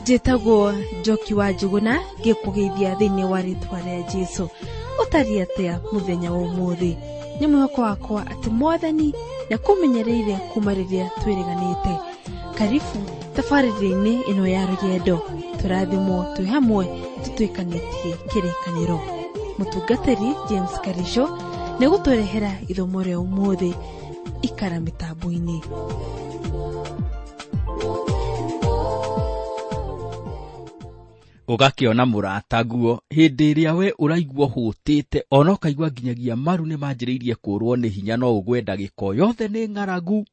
Njĩtagwo Njoki wa Njũgũna, ngĩkũgeithia thĩinĩ wa rĩtwa rĩa Jesũ. Ũtariĩ atĩa mũthenya wa ũmũthĩ? Nĩ mwĩhoko wakwa atĩ Mwathani nĩakũmenyereire kuma rĩrĩa twĩrĩganĩte. Karibu tabarĩra-inĩ ĩno ya rũgendo, tũrathimwo twĩ hamwe tũtuĩkanĩtie kĩrĩkanĩro. Mũtungatĩri James Karisho nĩegũtũrehera ithomo rĩa ũmũthĩ. Ikara mĩtambo-inĩ. Ũgakĩona mũrataguo hĩndĩ ĩrĩa we ũraigua ũhũtĩte, ona ũkaigua nginyagia maru nĩ manjĩrĩirie kũrwo nĩ hinya, no ũgwe ndagĩka o yothe nĩ ng'aragu,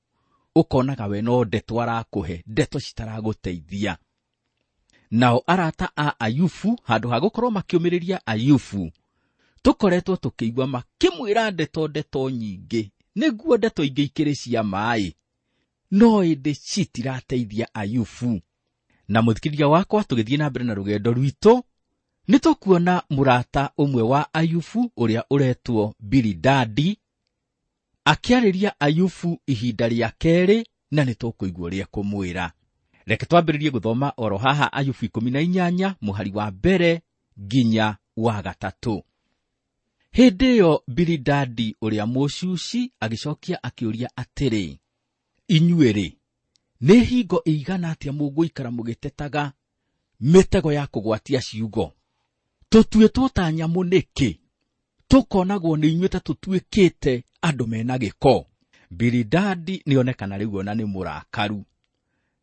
ũkonaga we no ndeto arakũhe, ndeto citaragũteithia. Nao arata a Ayubu, handũ ha gũkorwo makĩũmĩrĩria Ayubu, tũkoretwo tũkĩigua makĩmwĩra ndeto ndeto nyingĩ, nĩguo ndeto ingĩ ikĩrĩ cia maĩ, no ĩndĩ citirateithia Ayubu. Na mũthikĩrĩria wakwa, tũgĩthiĩ na mbere na rũgendo rwitũ, nĩ tũkuona mũrata ũmwe wa Ayubu ũrĩa ũretwo Bilidadi akĩarĩria Ayubu ihinda rĩa kerĩ, na nĩ tũkũigua ũrĩa ekũmwĩra. Reke twambĩrĩrie gũthoma oro haha Ayubu 18 mũhari wa mbere nginya wa gatatũ. Hĩndĩ ĩyo Bilidadi ũrĩa Mũcuci agĩcokia akĩũria atĩrĩ, inyuĩ-rĩ, nĩ hingo ĩigana atĩa mũgũikara mũgĩtetaga mĩtego ya kũgwatia ciugo? Tũtuĩtwo ta nyamũ nĩkĩ? Tũkonagwo nĩ inyuĩ ta tũtuĩkĩte andũ mena gĩko. Bilidadi nĩonekana rĩu ona nĩ mũrakaru.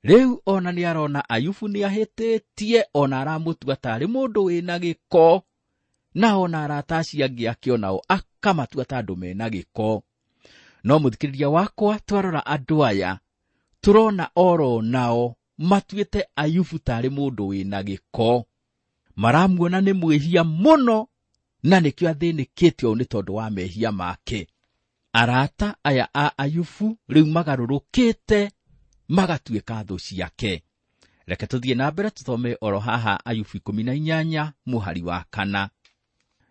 Rĩu ona nĩ arona Ayubu nĩ ahĩtĩtie, ona aramũtua tarĩ mũndũ wĩna gĩko, na ona arata acio angĩ ake onao akamatua ta andũ mena gĩko. No mũthikĩrĩria wakwa, twarora andũ aya, tũrona oro nao matuĩte Ayubu tarĩ mũndũ wĩna gĩko. Maramuona nĩ mwĩhia mũno, na nĩkĩo athĩnĩkĩte ũũ nĩ tondũ wa mehia make. Arata aya a Ayubu rĩu magarũrũkĩte magatuĩka thũ ciake. Reke tũthiĩ na mbere tũthome oro haha Ayubu 18 mũhari wa 4.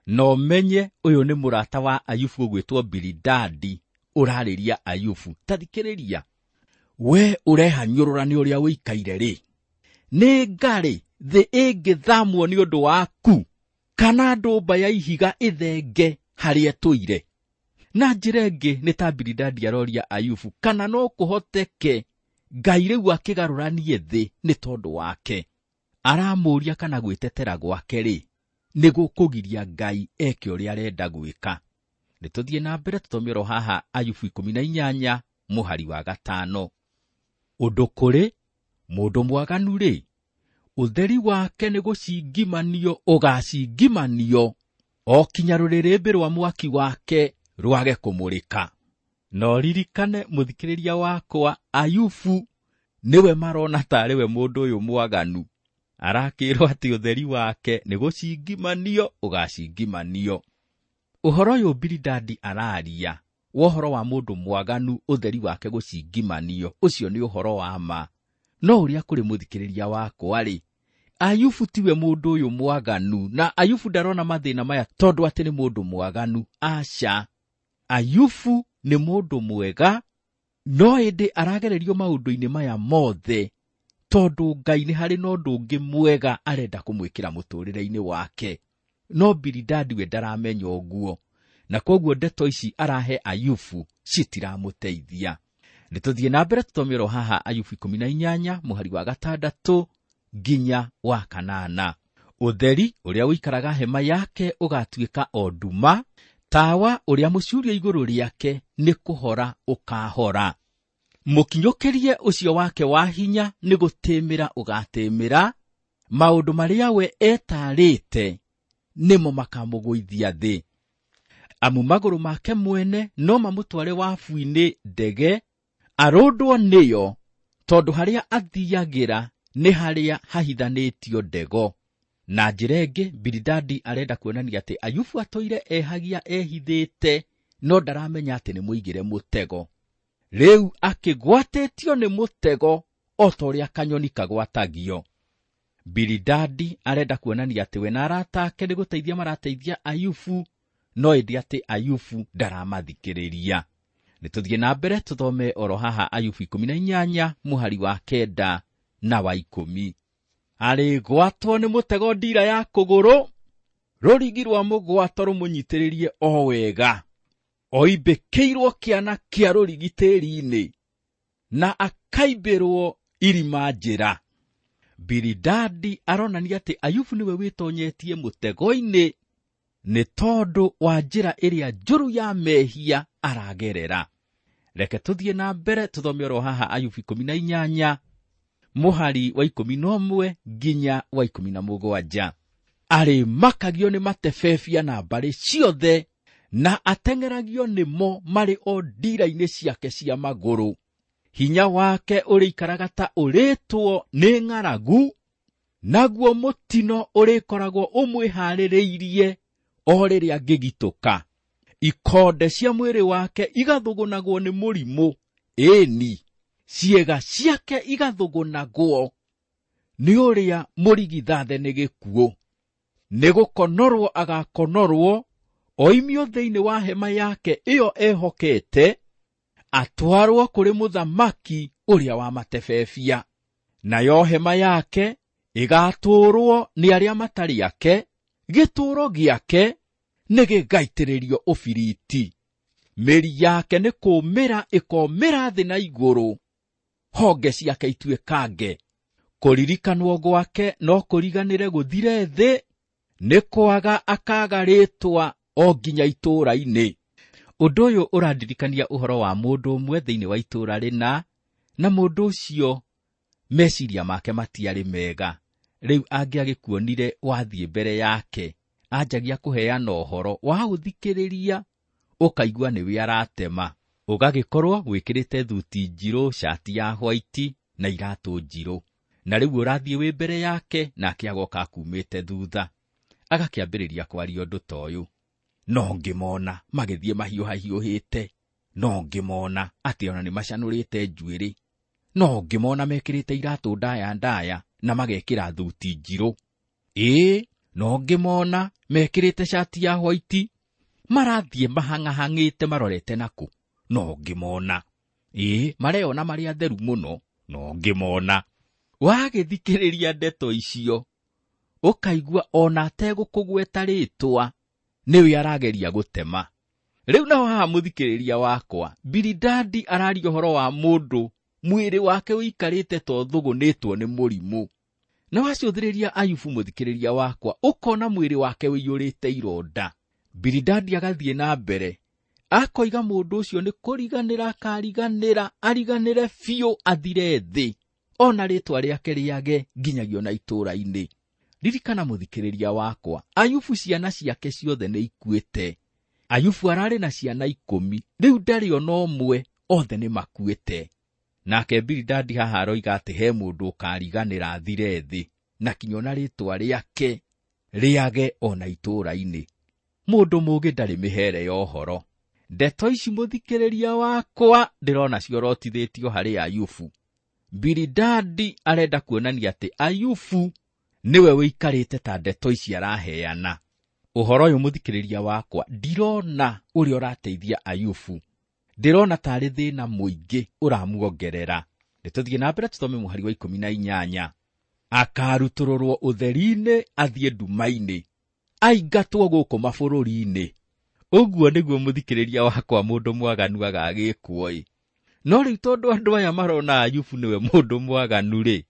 No menye ũyũ nĩ mũrata wa Ayubu ũgwĩtwo Bilidadi ũrarĩria Ayubu. Ta thikĩrĩria, we ũrehanyũrũra nĩ ũrĩa ũikaire rĩ, nĩ ngarĩ thĩ ĩngĩthamwo nĩ ũndũ waku, kana ndũmba ya ihiga ĩthenge harĩa ĩtũire? Na njĩra ĩngĩ nĩ ta Bilidadi aroria Ayubu kana no kũhoteke Ngai rĩu akĩgarũranie thĩ nĩ tondũ wake. Aramũria kana gwĩtetera gwake rĩ, nĩ gũkũgiria Ngai eke ũrĩa arenda gwĩka. Nĩ tũthiĩ na mbere tũthome oro haha Ayubu 18 mũhari wa 5. Ũndũ kũrĩ mũndũ mwaganu rĩ, ũtheri wake nĩ gũcingimanio ũgacingimanio, o kinya rũrĩrĩmbĩ rwa mwaki wake rwage kũmũrĩka. Na ũririkane mũthikĩrĩria wakwa, Ayubu nĩwe marona tarĩ we mũndũ ũyũ mwaganu. Arakĩrwo atĩ ũtheri wake nĩ gũcingimanio ũgacingimanio. Ũhoro ũyũ Bilidadi araria wa ũhoro wa mũndũ mwaganu ũtheri wake gũcingimanio, ũcio nĩ ũhoro wa ma. No ũrĩa kũrĩ mũthikĩrĩria wakwa rĩ, Ayubu tiwe mũndũ ũyũ mwaganu, na Ayubu ndarona mathĩna maya tondũ atĩ nĩ mũndũ mwaganu. Aca, Ayubu nĩ mũndũ mwega, no ĩndĩ aragererio maũndũ-inĩ maya mothe tondũ Ngai nĩ harĩ na ũndũ ũngĩ mwega arenda kũmwĩkĩra mũtũrĩre-inĩ wake. No Bilidadi we ndaramenya ũguo, na koguo ndeto ici arahe Ayubu citiramũteithia. Nĩ tũthiĩ na mbere tũthome oro haha Ayubu 18 mũhari wa 6 nginya wa 8. Ũtheri ũrĩa ũikaraga hema yake ũgatuĩka o nduma, tawa ũrĩa mũcurie igũrũ rĩake nĩ kũhora ũkahora. Mũkinyũkĩrie ũcio wake wa hinya nĩ gũtĩmĩra ũgatĩmĩra, maũndũ marĩa we etarĩte nĩmo makamũgũithia thĩ. Amu magũrũ make mwene no mamũtware wabu-inĩ ndege, arũndwo nĩyo, tondũ harĩa athiagĩra nĩ harĩa hahithanĩtio ndego. Na njĩra ĩngĩ, Bilidadi arenda kuonania atĩ Ayubu atũire ehagia ehithĩte, no ndaramenya atĩ nĩ mũigĩre mũtego. Rĩu akĩgwatĩtio nĩ mũtego o ta ũrĩa kanyoni kagwatagio. Bilidadi arenda kuonania atĩ we na arata ake nĩ gũteithia marateithia Ayubu, no ĩndĩ atĩ Ayubu ndaramathikĩrĩria. Nĩ tũthiĩ na mbere tũthome oro haha Ayubu 18 mũhari wa 9 na wa 10. Arĩgwatwo nĩ mũtego ndira ya kũgũrũ, rũrigi rwa mũgwato rũmũnyitĩrĩrie o wega. Oimbĩkĩirwo kĩana kĩa rũrigi tĩri-inĩ, na akaimbĩrwo irima njĩra. Bilidadi aronania atĩ Ayubu nĩwe wĩtonyetie mũtego-inĩ nĩ tondũ wa njĩra ĩrĩa njũru ya mehia aragerera. Reke tũthiĩ na mbere tũthome oro haha Ayubu 18 mũhari wa 11 nginya wa 17. Arĩmakagio nĩ matebebia na mbarĩ ciothe, na ateng'eragio nĩmo marĩ o ndira-inĩ ciake cia magũrũ. Hinya wake ũrĩikaraga ta ũrĩtwo nĩ ng'aragu, naguo mũtino ũrĩkoragwo ũmwĩharĩrĩirie o rĩrĩa angĩgitũka. Ikonde cia mwĩrĩ wake igathũgũnagwo nĩ mũrimũ, ĩni ciĩga ciake igathũgũnagwo nĩ ũrĩa mũrigithathe nĩ gĩkuũ. Nĩ gũkonorwo agakonorwo, oimio thĩinĩ wa hema yake ĩyo ehokete, atwarwo kũrĩ mũthamaki ũrĩa wa matebebia. Nayo hema yake ĩgatũũrwo nĩ arĩa matarĩ ake, gĩtũũro gĩake nĩ gĩgaitĩrĩrio ũbiriti. Mĩri yake nĩ kũũmĩra ĩkoomĩra thĩ na igũrũ, honge ciake ituĩkange. Kũririkanwo gwake no kũriganĩre gũthire thĩ, nĩ kwaga akaga rĩtwa o nginya itũũra-inĩ. Ũndũ ũyũ ũrandirikania ũhoro wa mũndũ ũmwe thĩinĩ wa itũũra rĩna, na mũndũ ũcio meciria make matiarĩ mega. Rĩu angĩagĩkuonire wathiĩ mbere yake, anjagia kũheana ũhoro, waũthikĩrĩria ũkaigua nĩwe aratema. Ũgagĩkorwo wĩkĩrĩte thuti njirũ, cati ya white na iratũ njirũ, na rĩu ũrathiĩ wĩ mbere yake, nake agoka akumĩte thutha, agakĩambĩrĩria kwaria ũndũ ta ũyũ. No ngĩmona magĩthiĩ mahiũhahiũhĩte, no ngĩmona atĩ ona nĩmacanũrĩte njuĩrĩ, no ngĩmona mekĩrĩte iratũ ndaya ndaya na magekĩra thuti njirũ. Ĩĩ, no ngĩmona mekĩrĩte cati ya white, marathiĩ mahang'ahang'ĩte marorete nakũ, no ngĩmona. Ĩĩ, mareyona marĩ atheru mũno, no ngĩmona. Wagĩthikĩrĩria ndeto icio, ũkaigua ona ategũkũgweta rĩtwa, nĩwe arageria gũtema. Rĩu naho haha mũthikĩrĩria wakwa, Bilidadi araria ũhoro wa mũndũ mwĩrĩ wake ũikarĩte ta ũthũgũnĩtwo nĩ mũrimũ. Na wacũthĩrĩria Ayubu mũthikĩrĩria wakwa, ũkona mwĩrĩ wake ũiyũrĩte ironda. Bilidadi agathiĩ na mbere, akoiga mũndũ ũcio nĩ kũriganĩra akariganĩra, ariganĩre biũ athire thĩ, ona rĩtwa rĩake rĩage nginyagia ona itũũra-inĩ. Ririkana mũthikĩrĩria wakwa, Ayubu ciana ciake ciothe nĩ ikuĩte. Ayubu ararĩ na ciana 10, rĩu ndarĩ ona ũmwe, othe nĩ makuĩte. Nake Bilidadi haha aroiga atĩ he mũndũ ũkariganĩra athire thĩ, na kinya ona rĩtwa rĩake rĩage ona itũũra-inĩ. Mũndũ mũũgĩ ndarĩ mĩhere ya ũhoro. Ndeto ici mũthikĩrĩria wakwa ndĩrona ciorotithĩtio harĩ Ayubu. Bilidadi arenda kuonania atĩ Ayubu nĩwe ũikarĩte ta ndeto ici araheana. Ũhoro ũyũ mũthikĩrĩria wakwa, ndirona ũrĩa ũrateithia Ayubu. Ndĩrona tarĩ thĩna mũingĩ ũramuongerera. Nĩtũthiĩ na mbere tũthome mũhari wa 18. Akarutũrũrwo ũtheri-inĩ athiĩ nduma-inĩ, aingatwo gũkũ mabũrũri-inĩ. Ũguo nĩguo mũthikĩrĩria wakwa mũndũ mwaganu agagĩkwo-ĩ. No rĩu tondũ andũ aya marona Ayubu nĩwe mũndũ mwaganu-rĩ,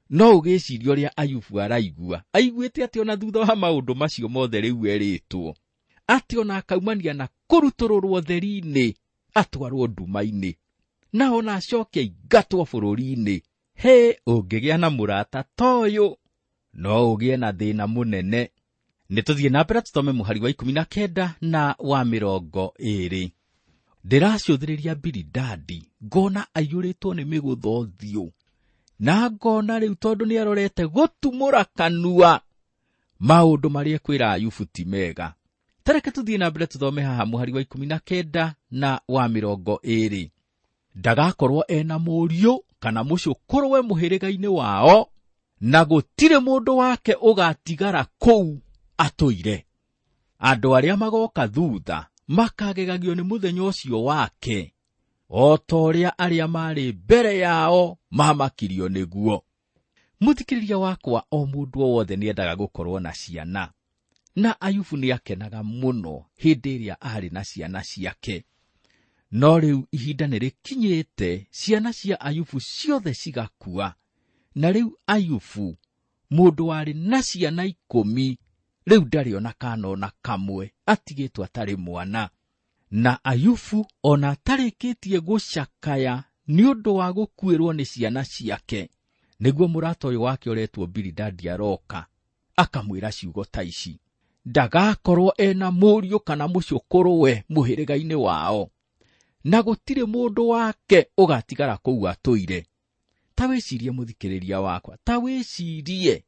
no ũgĩcirie ũrĩa Ayubu araigua. Aiguĩte atĩ ona thutha wa maũndũ macio mothe rĩu erĩtwo, atĩ ona akaumania na kũrutũrũrwo ũtheri-inĩ, atwarwo nduma-inĩ, na ona acoke aingatwo bũrũri-inĩ. Hĩ, ũngĩgĩa na mũrata ta ũyũ, no ũgĩe na thĩna mũnene. Nĩtũthiĩ na mbere tũthome mũhari wa 19 na wa 20. Ndĩracũthĩrĩria Bilidadi, ngona aiyũrĩtwo nĩ mĩgũtha ũthiũ, na ngona rĩu tondũ nĩarorete gũtumũra kanua, maũndũ marĩa ekwĩra Ayubu ti mega. Tareke tũthiĩ na mbere tũthome haha mũhari wa 19 na wa 20. Ndagakorwo ena mũriũ kana mũcũkũrũwe mũhĩrĩga-inĩ wao, na gũtirĩ mũndũ wake ũgatigara kũu atũire. Andũ arĩa magoka thutha makagegagio nĩ mũthenya ũcio wake, o ta ũrĩa arĩa marĩ mbere yao mamakirio nĩguo. Mũthikĩrĩria wakwa, o mũndũ o wothe nĩendaga gũkorwo na ciana, na Ayubu nĩakenaga mũno hĩndĩ ĩrĩa arĩ na ciana ciake. No rĩu ihinda nĩrĩkinyĩte ciana cia Ayubu ciothe cigakua, na rĩu Ayubu mũndũ warĩ na ciana 10 rĩu ndarĩ ona kana ona kamwe, atigĩtwo atarĩ mwana. Na Ayubu ona atarĩkĩtie gũcakaya nĩ ũndũ wa gũkuĩrwo nĩ ciana ciake, nĩguo mũrata ũyũ wake ũretwo Bilidadi aroka akamwĩra ciugo ta ici: ndagakorwo ena mũriũ kana mũcũkũrũwe mũhĩrĩga-inĩ wao, na gũtirĩ mũndũ wake ũgatigara kũu atũire. Ta wĩcirie mũthikĩrĩria wakwa, ta wĩcirie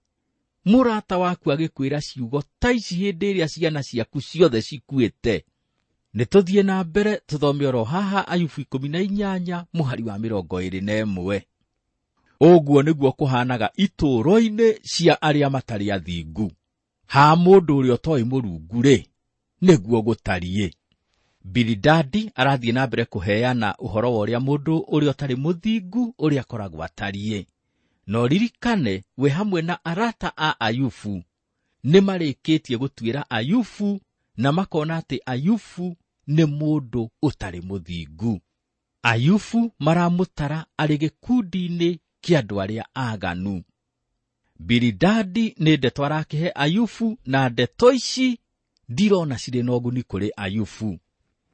mũrata waku agĩkwĩra ciugo ta ici hĩndĩ ĩrĩa ciana ciaku ciothe cikuĩte. Nĩ tũthiĩ na mbere tũthome oro haha Ayubu 18 mũhari wa 21. Ũguo nĩguo kũhanaga itũũro-inĩ cia arĩa matarĩ athingu. Ha mũndũ ũrĩa ũtoĩ Mũrungu rĩ, nĩguo gũtariĩ. Bilidadi arathiĩ na mbere kũheana ũhoro wa ũrĩa mũndũ ũrĩa ũtarĩ mũthingu ũrĩa akoragwo atariĩ. No ririkane we hamwe na arata a Ayubu nĩmarĩkĩtie gũtuĩra Ayubu na makona atĩ Ayubu nĩ mũndũ ũtarĩ mũthingu. Ayubu maramũtara arĩ gĩkundi-inĩ kĩa andũ arĩa aganu. Bilidadi nĩ ndeto arakĩhe Ayubu, na ndeto ici ndirona cirĩ na ũguni kũrĩ Ayubu.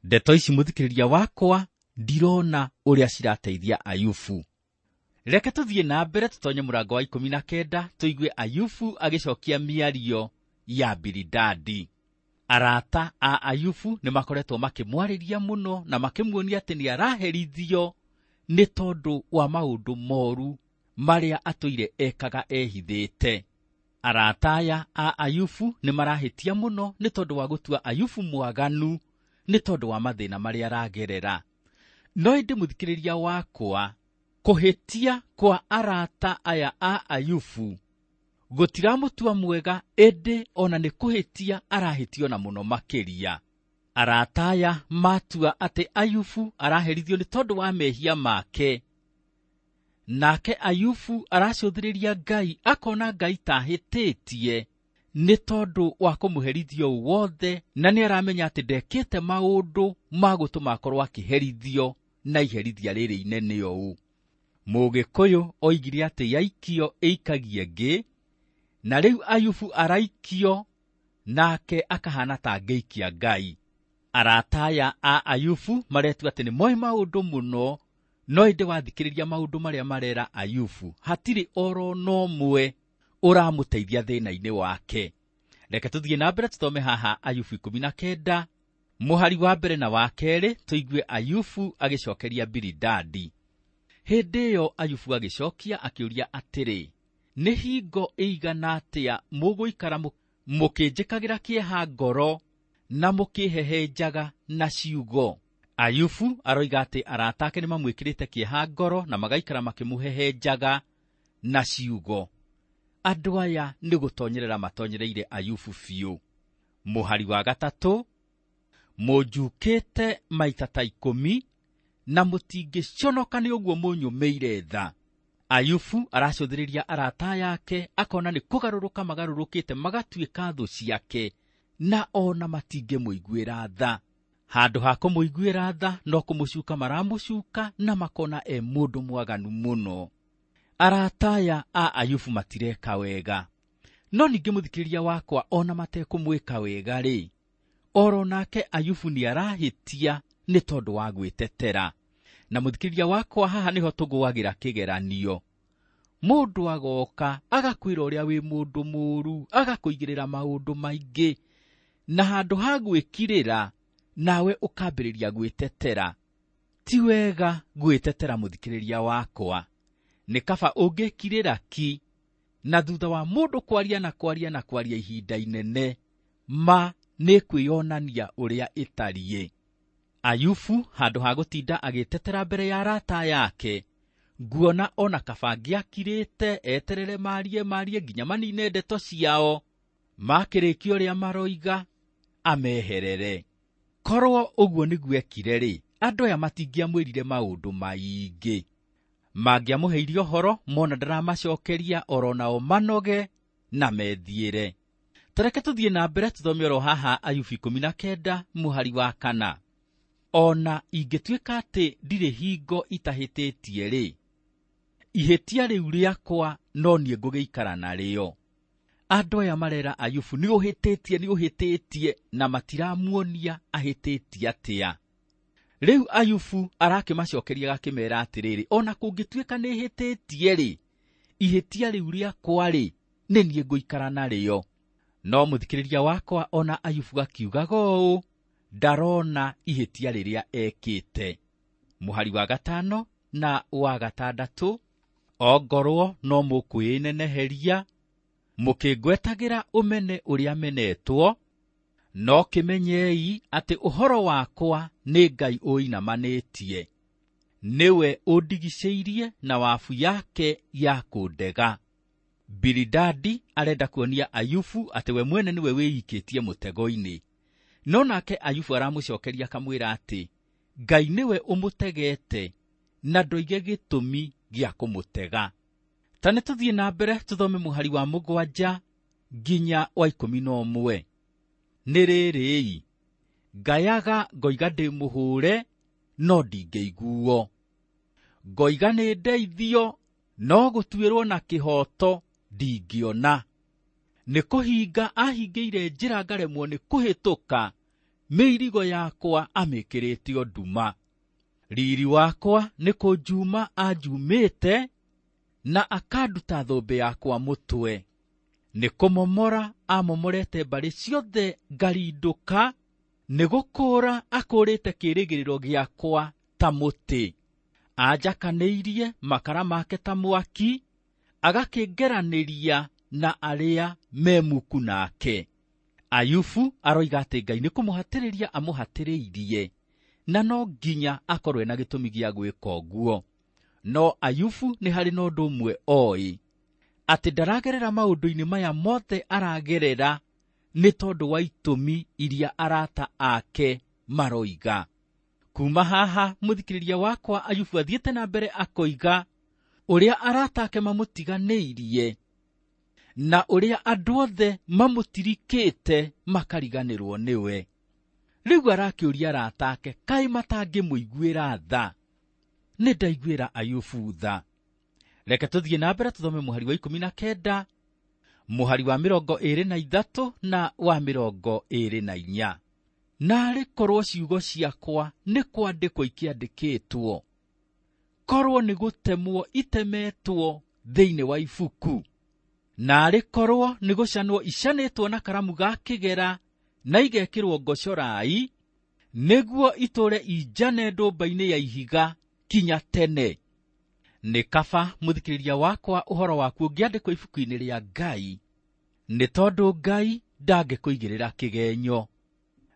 Ndeto ici mũthikĩrĩria wakwa ndirona ũrĩa cirateithia Ayubu. Reke tũthiĩ na mbere tũtonye mũrango wa 19 tũigue Ayubu agĩcokia mĩario ya Bilidadi. Arata a Ayubu nĩmakoretwo makĩmwarĩria mũno na makĩmuonia atĩ nĩaraherithio nĩ tondũ wa maũndũ moru marĩa atũire ekaga ehithĩte. Arata aya a Ayubu nĩmarahĩtia mũno nĩ tondũ wa gũtua Ayubu mwaganu nĩ tondũ wa mathĩna marĩa aragerera. No ĩndĩ mũthikĩrĩria wakwa, kũhĩtia kwa arata aya a Ayubu gũtiramũtua mwega, ĩndĩ ona nĩ kũhĩtia arahĩtio na mũno makĩria. Arata aya matua atĩ Ayubu araherithio nĩ tondũ wa mehia make, nake Ayubu aracũthĩrĩria Ngai akona Ngai tahĩtĩtie nĩ tondũ wa kũmũherithio wothe, na nĩ aramenya atĩ ndekĩte maũndũ ma gũtũma akorwo akĩherithio na iherithia rĩrĩ inene ũũ. Mũgĩkũyũ oigire atĩ yaikio ĩikagie ngĩ, na rĩu Ayubu araikio nake akahana ta ngĩikia Ngai. Arata aya a Ayubu maretua atĩ nĩ moĩ maũndũ mũno, no ĩndĩ wathikĩrĩria maũndũ marĩa marera Ayubu hatirĩ oro na ũmwe ũramũteithia thĩna-inĩ wake. Reke tũthiĩ na mbere tũthome haha Ayubu 19 mũhari wa mbere na wa kerĩ tũigue Ayubu agĩcokeria Bilidadi. Hĩndĩ ĩyo Ayubu agĩcokia akĩũria atĩrĩ, nĩ hingo ĩigana atĩa mũgũikara mũkĩnjĩkagĩra kĩeha ngoro na mũkĩhehenjaga na ciugo? Ayubu aroiga atĩ arata ake nĩmamwĩkĩrĩte kĩeha ngoro na magaikara makĩmũhehenjaga na ciugo. Andũ aya nĩ gũtonyerera matonyereire Ayubu biũ. Mũhari wa 3, mũnjukĩte maita ta 10 na mũtingĩconoka nĩ ũguo mũnyũmĩire tha. Ayubu aracũthĩrĩria arata yake akona nĩ kũgarũrũka magarũrũkĩte magatuĩka thũ ciake, na ona matingĩmũiguĩra tha. Handũ ha kũmũiguĩra tha no kũmũcuka maramũcuka na makona e mũndũ mwaganu mũno. Arata aya a Ayubu matireka wega. No ningĩ mũthikĩrĩria wakwa, ona matekũmwĩka wega rĩ, oro nake Ayubu nĩarahĩtia nĩ tondũ wa gwĩtetera. Na mũthikĩrĩria wakwa, haha nĩho tũgũagĩra kĩgeranio. Mũndũ agoka agakwĩra ũrĩa wĩ mũndũ mũũru, agakũigĩrĩra maũndũ maingĩ, na handũ ha gwĩkirĩra nawe ũkambĩrĩria gwĩtetera. Ti wega gwĩtetera mũthikĩrĩria wakwa, nĩ kaba ũngĩkirĩra ki, na thutha wa mũndũ kwaria na kwaria na kwaria ihinda inene, ma nĩ kwĩyonania ũrĩa ĩtariĩ. Ayubu handũ ha gũtinda agĩtetera mbere ya arata yake, nguona ona kaba angĩakirĩte eterere marie marie nginya manine ndeto ciao, makĩrĩkia ũrĩa maroiga ameherere. Korwo ũguo nĩguo ekire rĩ, andũ aya matingĩamwĩrire maũndũ maingĩ. Mangĩamũheire ũhoro mona ndaramacokeria oro nao manoge na methiĩre. Tareke tũthiĩ na mbere tũthome oro haha Ayubu 19 mũhari wa 4. Ona ingĩtuĩka atĩ ndirĩ hingo itahĩtĩtie rĩ, ihĩtia rĩu rĩakwa no niĩ ngũgĩikara narĩo. Andũ aya marera Ayubu nĩ ũhĩtĩtie, nĩ ũhĩtĩtie, na matiramuonia ahĩtĩtie atĩa. Rĩu Ayubu arakĩmacokeria agakĩmera atĩrĩrĩ, ona kũngĩtuĩka nĩ hĩtĩtie rĩ, ihĩtia rĩu rĩakwa rĩ, nĩ niĩ ngũikara narĩo. No mũthikĩrĩria wakwa ona Ayubu akiugaga ũũ, ndarona ihĩtia rĩrĩa ekĩte. Mũhari wa 5 na wa 6, ongorwo no mũkwĩneneheria mũkĩngwetagĩra ũmene ũrĩa menetwo, no kĩmenyei atĩ ũhoro wakwa nĩ Ngai ũinamanĩtie, nĩwe ũndigicĩirie na wabu yake ya kũndega. Bilidadi arenda kuonia Ayubu atĩ we mwene nĩwe wĩikĩtie mũtego-inĩ. No nake Ayubu aramũcokeria akamwĩra atĩ Ngai nĩwe ũmũtegete na ndoige gĩtũmi gĩa kũmũtega. Ta nĩ tũthiĩ na mbere tũthome mũhari wa 7 nginya wa 11. Nĩ rĩrĩi, ngayaga ngoiga ndĩ mũhũre no ndingĩiguo, ngoiga nĩ ndeithio no gũtuĩrwo na kĩhooto ndingĩona. Nĩ kũhinga ahingĩire njĩra ngaremwo nĩ kũhĩtũka, mĩirigo yakwa amĩkĩrĩte nduma. Riri wakwa nĩ kũnjuma anjumĩte na akanduta thũmbĩ yakwa mũtwe. Nĩ kũmomora amomorete mbarĩ ciothe ngarindũka, nĩ gũkũũra akũũrĩte kĩĩrĩgĩrĩro gĩakwa ta mũtĩ. Anjakanĩirie makara make ta mwaki, agakĩngeranĩria na arĩa memuku nake. Ayubu aroiga atĩ Ngai nĩ kũmũhatĩrĩria amũhatĩrĩirie, na no nginya akorwo ena gĩtũmi gĩa gwĩka ũguo. No Ayubu nĩ harĩ na ũndũ ũmwe oĩ, atĩ ndaragerera maũndũ-inĩ maya mothe aragerera nĩ tondũ wa itũmi iria arata ake maroiga. Kuma haha mũthikĩrĩria wakwa Ayubu athiĩte na mbere akoiga ũrĩa arata ake mamũtiganĩirie na ũrĩa andũ othe mamũtirikĩte makariganĩrwo nĩwe. Rĩu arakĩũria arata ake kaĩ matangĩmũiguĩra tha. Nĩ ndaiguĩra Ayubu tha. Reke tũthiĩ na mbere tũthome mũhari wa 19, mũhari wa 23 na wa 24. Naarĩ korwo ciugo ciakwa nĩ kwandĩkwo ikĩandĩkĩtwo, korwo nĩ gũtemwo itemetwo thĩinĩ wa ibuku, naarĩ korwo nĩ gũcanwo icanĩtwo na karamu ga kĩgera na igekĩrwo ngocorai, nĩguo itũũre injane ndũmba-inĩ ya ihiga kinya tene. Nĩ kaba mũthikĩrĩria wakwa ũhoro waku ũngĩandĩkwo ibuku-inĩ rĩa Ngai, nĩ tondũ Ngai ndangĩkũigĩrĩra kĩgenyo.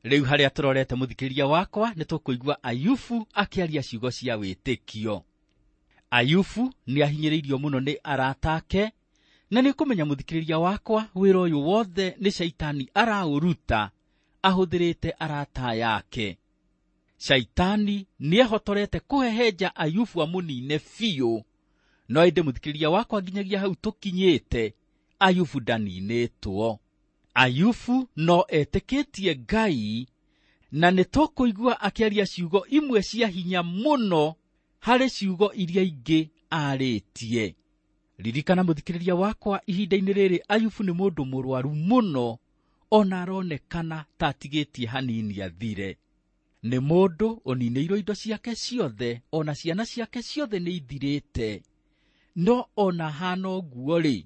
Rĩu harĩa tũrorete mũthikĩrĩria wakwa nĩ tũkũigua Ayubu akĩaria ciugo cia wĩtĩkio. Ayubu nĩ ahinyĩrĩirio mũno nĩ arata ake, na nĩ kũmenya mũthikĩrĩria wakwa wĩra ũyũ wothe nĩ Shaitani araũruta ahũthĩrĩte arata yake. Shaitani nĩehotorete kũhehenja Ayubu amũnine biũ, no ĩndĩ mũthikĩrĩria wakwa nginyagia hau tũkinyĩte Ayubu ndaninĩtwo. Ayubu no etĩkĩtie Ngai, na nĩ tũkũigua akĩaria ciugo imwe cia hinya mũno harĩ ciugo iria ingĩ arĩtie. Ririkana mũthikĩrĩria wakwa, ihinda-inĩ rĩrĩ Ayubu nĩ mũndũ mũrwaru mũno, ona aronekana ta atigĩtie hanini athire. Nĩ mũndũ ũninĩirwo indo ciake ciothe, ona ciana ciake ciothe nĩ ithirĩte. No ona hana ũguo rĩ,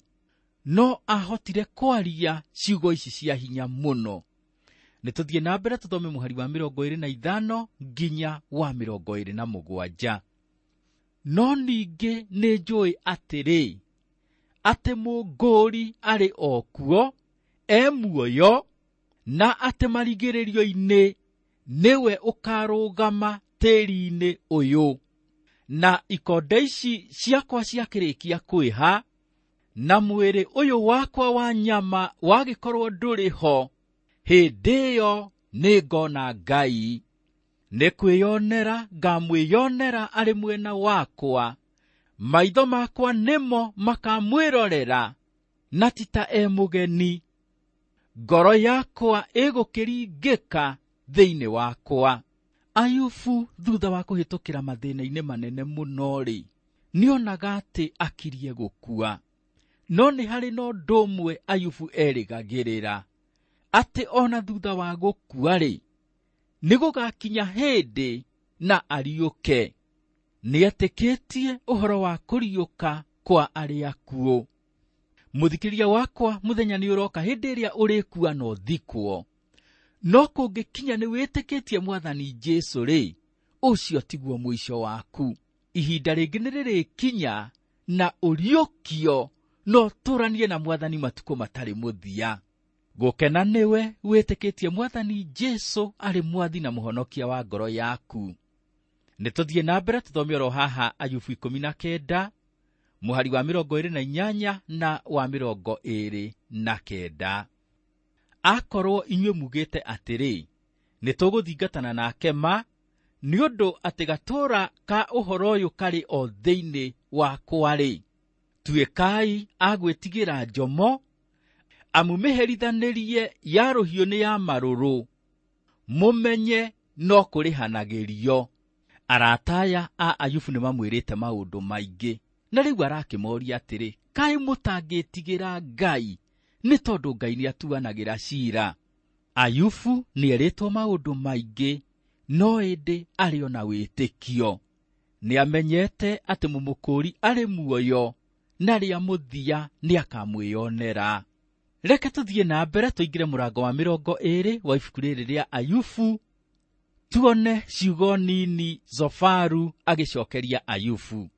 no ahotire kwaria ciugo ici cia hinya mũno. Nĩ tũthiĩ na mbere tũthome mũhari wa 25 nginya wa 27. No ningĩ nĩ njũĩ atĩrĩ, atĩ mũngũri arĩ o kuo, e muoyo, na atĩ marigĩrĩrio-inĩ nĩwe ũkarũgama tĩri-inĩ ũyũ. Na ikonde ici ciakwa ciakĩrĩkia kwĩha, na mwĩrĩ ũyũ wakwa wa nyama wagĩkorwo ndũrĩ ho, hĩndĩ ĩyo nĩngona Ngai. Nĩ kwĩyonera ngamwĩyonera arĩ mwena wakwa, Maitho makwa nĩmo makamwĩrorera na ti ta e mũgeni. Ngoro yakwa ĩgũkĩringĩka thĩinĩ wakwa. Ayubu thutha wa kũhĩtũkĩra mathĩna-inĩ manene mũno-rĩ, nĩonaga atĩ akirie gũkua. No nĩ harĩ na ũndũ ũmwe Ayubu erĩgagĩrĩra, atĩ ona thutha wa gũkua-rĩ, nĩ gũgakinya hĩndĩ na ariũke. Nĩetĩkĩtie ũhoro wa kũriũka kwa arĩa akuũ. Mũthikĩrĩria wakwa, mũthenya nĩ ũroka hĩndĩ ĩrĩa ũrĩkua na ũthikwo. No kũngĩkinya nĩ wĩtĩkĩtie Mwathani Jesũ rĩ, ũcio tiguo mũico waku. Ihinda rĩngĩ nĩ rĩrĩkinya na ũriũkio na ũtũranie na Mwathani matukũ matarĩ mũthia. Gũkena nĩwe wĩtĩkĩtie Mwathani Jesũ arĩ Mwathi na Mũhonokia wa ngoro yaku. Nĩ tũthiĩ na mbere tũthome oro haha Ayubu 19 mũhari wa 28 na wa 29. Akorwo inyuĩ mugĩte atĩrĩ, nĩ tũgũthingatana nake ma, nĩ ũndũ atĩ gatũũra ka ũhoro ũyũ karĩ o thĩinĩ wakwa-rĩ, tuĩkai a gwĩtigĩra njomo, amu mĩherithanĩrie ya rũhiũ nĩ ya marũrũ, mũmenye no kũrĩhanagĩrio. Arata aya a Ayubu nĩ mamwĩrĩte maũndũ maingĩ, na rĩu arakĩmoria atĩrĩ, kaĩ mũtangĩtigĩra Ngai, nĩ tondũ Ngai nĩatuanagĩra ciira. Ayubu nĩerĩtwo maũndũ maingĩ, no ĩndĩ arĩ ona wĩtĩkio. Nĩamenyete atĩ mũmũkũũri arĩ muoyo, na rĩa mũthia nĩakamwĩonera. Reke tũthiĩ na mbere tũingĩre mũrango wa 20 wa ibuku rĩrĩ rĩa Ayubu, tuone ciugo nini Zofaru agĩcokeria Ayubu.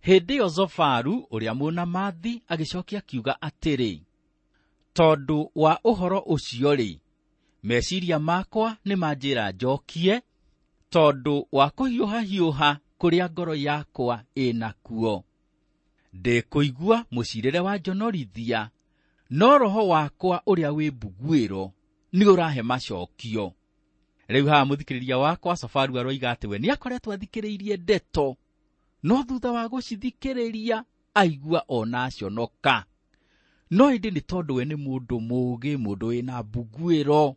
Hĩndĩ ĩyo Zofaru ũrĩa Mũnamathi agĩcokia akiuga atĩrĩ, tondũ wa ũhoro ũcio-rĩ, meciria makwa nĩ manjĩra njokie, tondũ wa kũhiũhahiũha kũrĩa ngoro yakwa ĩnakuo. Ndĩkũigua mũcirĩre wa njonorithia, no roho wakwa ũrĩa wĩ mbuguĩro nĩ ũrahe macokio. Rĩu haha mũthikĩrĩria wakwa Zofaru aroiga atĩ we nĩakoretwo athikĩrĩirie ndeto, no thutha wa gũcithikĩrĩria aigua ona aconoka. No ĩndĩ nĩ tondũ we nĩ mũndũ mũũgĩ, mũndũ wĩna mbuguĩro,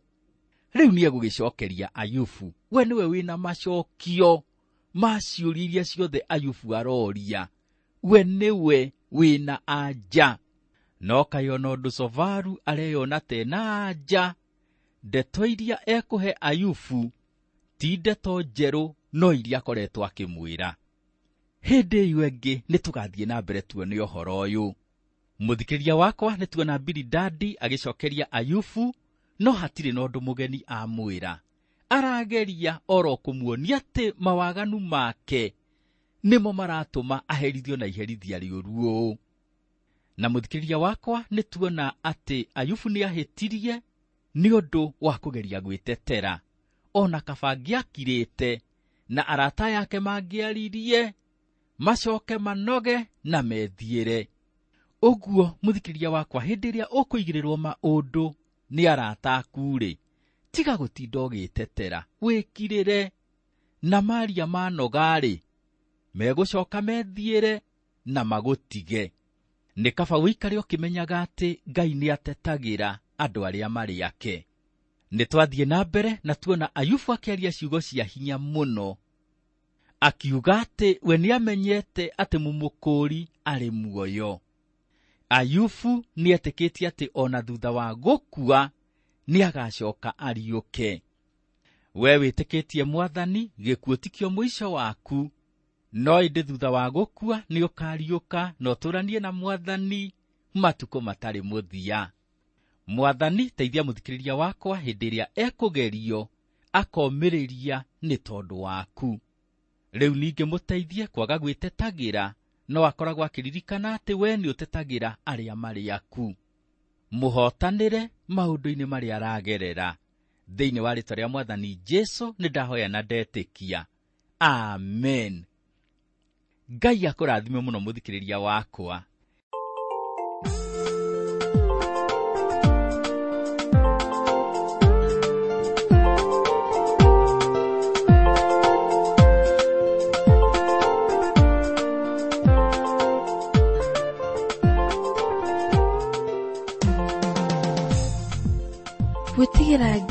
rĩu nĩegũgĩcokeria Ayubu. We nĩwe wĩna macokio ma ciũria iria ciothe Ayubu aroria. We nĩwe wĩna anja. No kaĩ ona ũndũ Zofaru areyona tena anja, ndeto iria ekũhe Ayubu ti ndeto njerũ, no iria akoretwo akĩmwĩra. Hĩndĩ ĩyo ĩngĩ nĩ tũgathiĩ na mbere tuone ũhoro ũyũ. Mũthikĩrĩria wakwa, nĩ tuona Bilidadi agĩcokeria Ayubu, no hatirĩ na ũndũ mũgeni amwĩra. Arageria oro kũmuonia atĩ mawaganu make nĩmo maratũma aherithio na iherithia rĩũru ũũ. Na mũthikĩrĩria wakwa, nĩ tuona atĩ Ayubu nĩahĩtirie nĩ ũndũ wa kũgeria gwĩtetera. Ona kaba angĩakirĩte na arata yake mangĩaririe, macoke manoge na methiĩre. Ũguo mũthikĩrĩria wakwa, hĩndĩ ĩrĩa ũkũigĩrĩrwo maũndũ nĩ arata aku-rĩ, tiga gũtinda ũgĩtetera, wĩkirĩre. Na maria manoga-rĩ, megũcoka methiĩre na magũtige. Nĩ kaba ũikare ũkĩmenyaga atĩ Ngai nĩatetagĩra andũ arĩa marĩ ake. Nĩ twathiĩ na mbere na tuona Ayubu akĩaria ciugo cia hinya mũno, akiuga atĩ we nĩamenyete atĩ mũmũkũũri arĩ muoyo. Ayubu nĩetĩkĩtie atĩ ona thutha wa gũkua nĩagacoka ariũke. We wĩtĩkĩtie Mwathani, gĩkuũ tikĩo mũico waku, no ĩndĩ thutha wa gũkua nĩũkariũka na ũtũranie na Mwathani matukũ matarĩ mũthia. Mwathani, teithia mũthikĩrĩria wakwa hĩndĩ ĩrĩa ekũgerio akomĩrĩria nĩ tondũ waku. Rĩu ningĩ mũteithie kwaga gwĩtetagĩra, no akoragwo akĩririkana atĩ we nĩũtetagĩra arĩa marĩ aku. Mũhotanĩre maũndũ-inĩ marĩa aragerera. Thĩinĩ wa rĩĩtwa rĩa Mwathani Jesũ nĩ ndahoya na ndetĩkia. Amen. Ngai akũrathime mũno mũthikĩrĩria wakwa.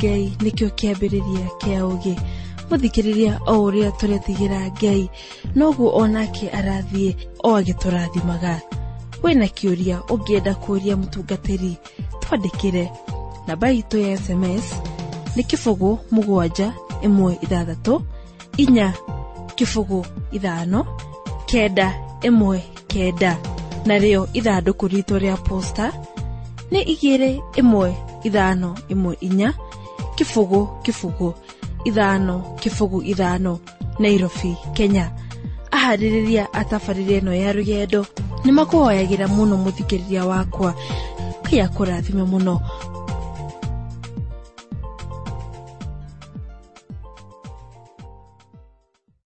Ngai nĩkĩo kĩambĩrĩria kĩa ũũgĩ. Mũthikĩrĩria o ũrĩa tũretigĩra Ngai noguo onake arathiĩ o agĩtũrathimaga. Wĩna kĩũria ũngĩenda kũũria mũtungatĩri, twandĩkĩre. Namba itũ ya SMS nĩ 0 7 1 6 4 0 5 9 1 9, narĩo ithandũkũ ritũ rĩa posta nĩ 2 1 5 1 4 0 0 5 0 5, Nairobi, Kenya. Aharĩrĩria a tabarĩra ĩno ya rũgendo nĩ makũhoyagĩra mũno mũthikĩrĩria wakwa. Ngai akũrathime mũno.